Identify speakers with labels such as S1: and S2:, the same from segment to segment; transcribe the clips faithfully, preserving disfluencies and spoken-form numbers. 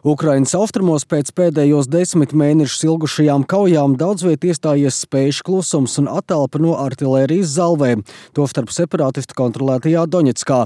S1: Ukrainas austrumos pēc pēdējos desmit mēnešus ilgušajām kaujām daudz viet iestājies spējuši klusums un attelpa no artilērijas zalvēm, tostarp separātistu kontrolētajā Doņetskā.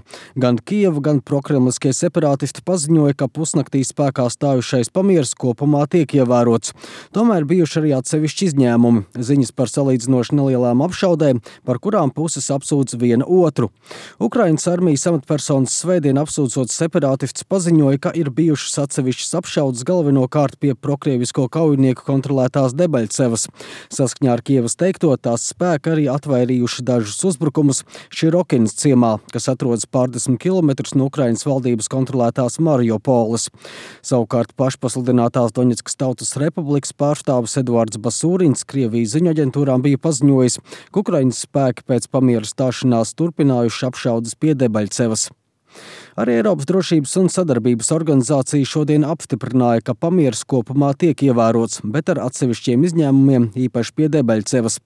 S1: Gan Kijeva, gan prokremliskie separātisti paziņoja, ka pusnaktī spēkā stājušais pamieris kopumā tiek ievērots. Tomēr bijuši arī atsevišķi izņēmumi, ziņas par salīdzinoši nelielām apšaudēm, par kurām puses apsūdz viena otru. Ukrainas armijas amatpersonas svētdien apsūdzot separātistus paziņoja, ka ir bijušas atsevišķas apšaudas galvenokārt pie prokrievisko kaujinieku kontrolētās Debaļcevas. Saskaņā ar Kijevas teikto, tās spēki arī atvairījuši dažus uzbrukumus Širokinas ciemā, kas atrodas pārdesmit kilometrus no Ukrainas valdības kontrolētās Mariupoles. Savukārt pašpasludinātās Doņetskas Tautas Republikas pārstāvis Eduards Basūrins Krievijas ziņu aģentūrām bija paziņojis, ka Ukrainas spēki pēc pamiera stāšanās turpinājuši apšaudas pie Debaļcevas. Arī Eiropas drošības un sadarbības organizācija šodien apstiprināja, ka pamieris kopumā tiek ievērots, bet ar atsevišķiem izņēmumiem, īpaši pie Debaļcevas.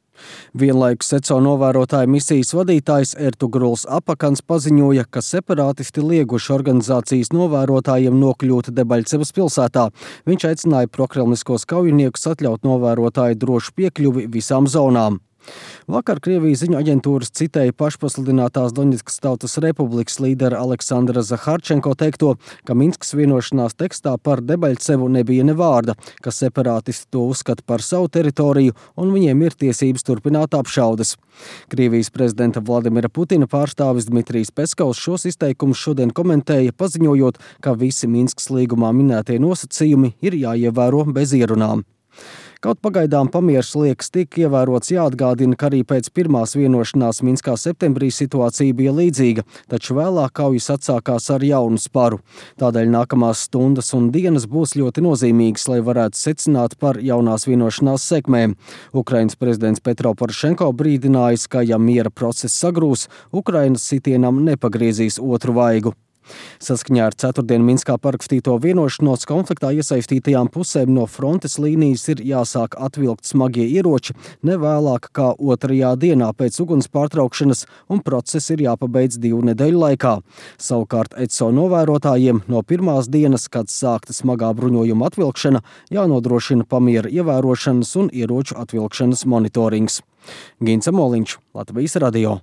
S1: Vienlaikus ECO novērotāja misijas vadītājs Ertugruls Apakans paziņoja, ka separātisti lieguši organizācijas novērotājiem nokļūt Debaļcevas pilsētā. Viņš aicināja prokremliskos kaujiniekus atļaut novērotāju drošu piekļuvi visām zonām. Vakar Krievijas ziņu aģentūras citēja pašpasludinātās Doņetskas Tautas Republikas līdera Aleksandra Zaharčenko teikto, ka Minskas vienošanās tekstā par Debaļcevu nebija ne vārda, ka separātisti to uzskata par savu teritoriju un viņiem ir tiesības turpināt apšaudes. Krievijas prezidenta Vladimira Putina pārstāvis Dmitrijs Peskovs šos izteikumus šodien komentēja, paziņojot, ka visi Minskas līgumā minētie nosacījumi ir jāievēro bez ierunām. Kaut pagaidām pamieris liekas tik ievērots, jāatgādina, ka arī pēc pirmās vienošanās Minskā septembrī situācija bija līdzīga, taču vēlāk kaujas atsākās ar jaunu sparu. Tādēļ nākamās stundas un dienas būs ļoti nozīmīgas, lai varētu secināt par jaunās vienošanās sekmēm. Ukrainas prezidents Petro Porošenko brīdinājis, ka ja miera process sagrūs, Ukrainas sitienam nepagriezīs otru vaigu. Saskaņā ar ceturtdien Minskā parakstīto vienošanos konfliktā iesaistītajām pusēm no frontes līnijas ir jāsāk atvilkt smagie ieroči ne vēlāk kā otrajā dienā pēc uguns pārtraukšanas, un process ir jāpabeidz divu nedēļu laikā. Savukārt ECO novērotājiem no pirmās dienas, kad sākta smagā bruņojuma atvilkšana, jānodrošina pamiera ievērošanas un ieroču atvilkšanas monitorings. Gints Amoliņš, Latvijas radio.